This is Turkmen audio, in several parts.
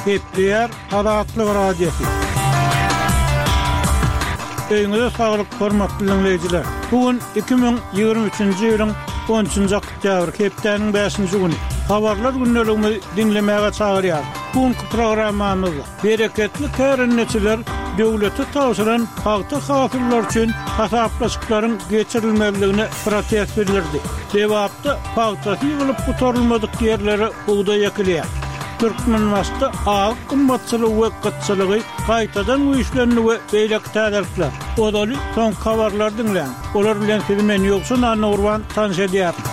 Gepleýär Azatlyk Radiosy. Öýüňize saglyk, hormatly diňleýjiler! Bu gün 2023-nji ýylyň on üçünji oktýabry, hepdäniň bäşinji güni. Habarlar gündeligimizi diňlemäge çagyrýarys. Bu günki programmamyzda bereketli kärendeçiler döwlete tabşyran pagta hasyllary üçin hasaplaşyklaryň geçirilmezligine protest bildirdi. Lebapda pagtasy ýygylyp gutarylmadyk ýerlere bugdaý ekilýär. Türkmenbaşyda azyk gymmatçylygy we gytçylygy gaýtadan güýçlendi we beýleki täzelikler. Ozaly soňky habarlary diňläň. Olar bilen sizi men Ýowşan Annagurban tanyş edýärin.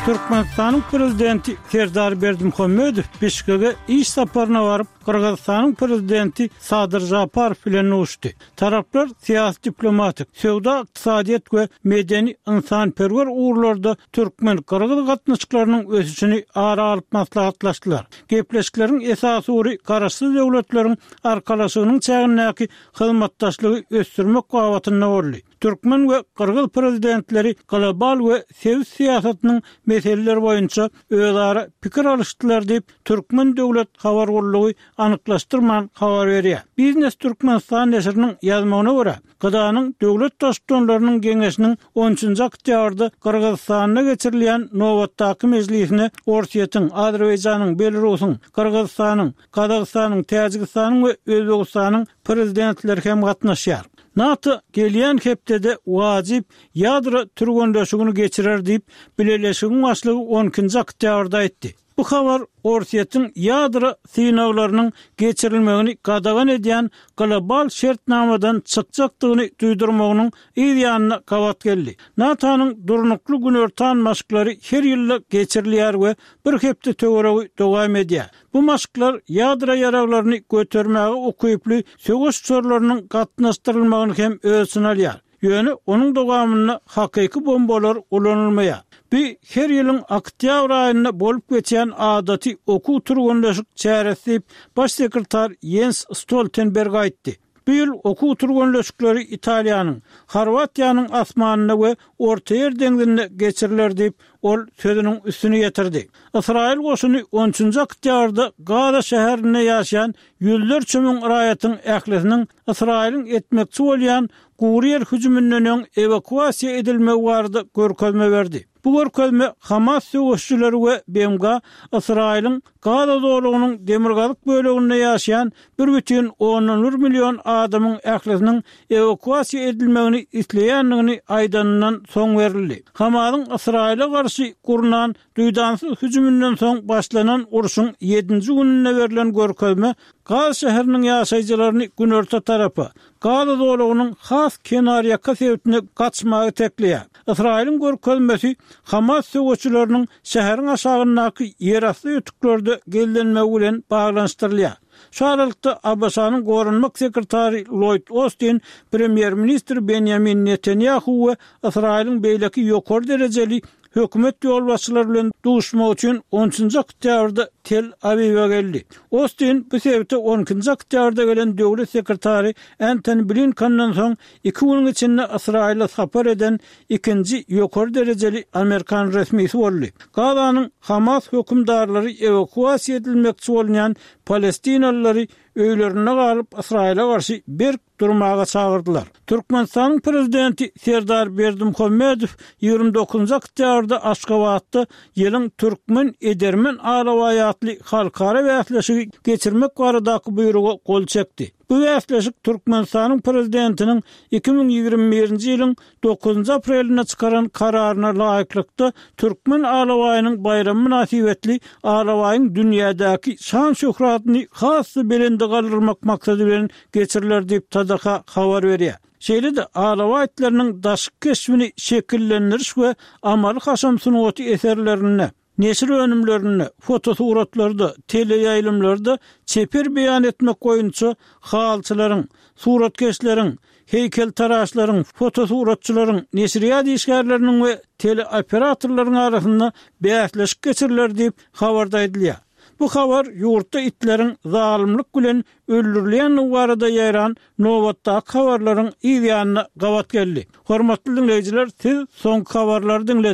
Türkmenistanyň Prezidenti Serdar Berdimuhamedow Bişkege iş saparyna baryp, Gyrgyzystanyň Prezidenti Sadyr Žaparow bilen duşdy. Taraplar syýasy-diplomatik, söwda-ykdysadyýet we medeni-ynsanperwer ugurlarda türkmen-gyrgyz gatnaşyklarynyň ösüşini ara alyp maslahatlaşdylar. Gepleşikleriň esasy ugry Garaşsyz Döwletleriň Arkalaşygynyň çägindäki hyzmatdaşlygy ösdürmek babatynda boldy. Türkmen we gyrgyz Prezidentleri global we sebit syýasatynyň meseleleri boýunça özara pikir alyşdylar diýip, Türkmen döwlet habar gullugy anyklaşdyrman habar berýär. Biznes Türkmenistan neşiriniň ýazmagyna görä, GDA-nyň döwlet baştutanlarynyň geňeşiniň on üçünji oktýabrda Gyrgyzystanda geçirilýän nobatdaky mejlisine Orsýetiň, Azerbaýjanyň, Belarusyň, Gyrgyzystanyň, Gazagystanyň, Täjigistanyň we Özbegistanyň Prezidentleri hem gatnaşýar. NATO gelýän hepdede wajyp ýadro türgenleşigini geçirer diýip, bileleşigiň başlygy on ikinji oktýabrda aýtdy. Bu habar Orsýetiň ýadro synaglarynyň geçirilmegini gadagan edýän global şertnamadan çykjakdygyny duýdurmagynyň yz ýanyna gabat geldi. NATO-nyň durnukly günortan maşklary her ýylda geçirilýär we bir hepde töweregi dowam edýär. Bu maşklar ýadro ýaraglaryny götermäge ukyply söweş uçarlarynyň gatnaşdyrylmagyny hem öz içine alýar. Ýöne onuň dowamynda hakyky bombalar ulanylmaýar. Bu her ýylyň oktýabr aýynda bolup geçýän adaty okuw-türgenleşik çäresi diýip, Baş sekretar Ýens Stoltenberg aýtdy. Bu ýyl okuw-türgenleşikleri Italiýanyň, Horwatiýanyň asmanynda we Ortaýer deňzinde geçiriler diýip, ol sözüniň üstüni ýetirdi. Ysraýyl goşuny on üçünji oktýabrda Gaza şäherinde ýaşaýan ýüzlerçe müň raýatyň ählisiniň Ysraýylyň etmekçi bolýan gury ýer hüjüminden öň ewakuasiýa edilmegi barada görkezme berdi. Bu görkezme Hamas söweşijileri we BMG Ysraýylyň Gaza zolagynyň demirgazyk böleginde ýaşaýan bir bütin ondan bir million adamyň ählisiniň ewakuasiýa edilmegini isleýändigini aýdanyndan soň berildi. Hamasyň Ysraýyla garşy gurnan Duýdansyz hüjüminden soň başlanan urşuň ýedinji gününde berlen görkezme Gaza şäheriniň ýaşaýjylaryny günorta tarapa, Gaza zolagynyň has kenarýaka sebitine gaçmaga itekleýär. Ysraýylyň görkezmesi Hamas söweşçileriniň şäheriň aşagyndaky ýerasty ötüklerde gizlenmegi bilen baglanyşdyrylýar. Şu aralykda, ABŞ-nyň goranmak sekretary Lloýd Ostin premýer-ministr Benýamin Netanýahu we Ysraýylyň beýleki ýokary derejeli hökümet ýolbaşçylary bilen duşmak üçin on üçünji oktýabrda Tel-Awiwe geldi. Ostin bu sebite on ikinji oktýabrda gelen döwlet sekretary Entoni Blinkenden soň iki günüň içinde Ysraýyla sapar eden ikinji ýokary derejeli amerikan resmisi boldy. Gazanyň Hamas hökümdarlary ewakuasiýa edilmekçi bolunýan palestinalylary öýlerinde galyp Ysraýyla garşy berk durmaga çagyrdylar. Türkmenistanyň Prezidenti Serdar Berdimuhamedow 29 oktýabrda Aşgabatda Ýylyň türkmen edermen alabaýy atly halkara bäsleşigi geçirmek baradaky buýruga gol çekdi. Bu bäsleşik Türkmenistanyň Prezidentiniň 2021-nji ýylyň dokuzynjy aprelinde çykaran Kararyna laýyklykda, Türkmen alabaýynyň baýramy mynasybetli alabaýyň dünýädäki şan-şöhratyny has-da belende galdyrmak maksady bilen geçiriler diýip, TDH habar berýär. Şeýle-de alabaý itleriniň daşky keşbini şekillendiriş we amaly-haşam sungaty eserlerinde, Neşir önümlerinde, fotosuratlarda, teleýaýlymlarda çeper beýan etmek boýunça halyçylaryň, suratkeşleriň, heýkeltaraşlaryň, fotosuratçylaryň, neşirýat işgärleriniň we teleoperatorlaryň arasynda bäsleşik geçiriler diýip, habarda aýdylýar. Bu habar ýurtda itleriň zalymlyk bilen öldürilýändigi barada ýaýran nobatdaky habarlaryň yz ýanyna gabat geldi. Hormatly diňleýjiler, siz soňky habarlary diňlediňiz.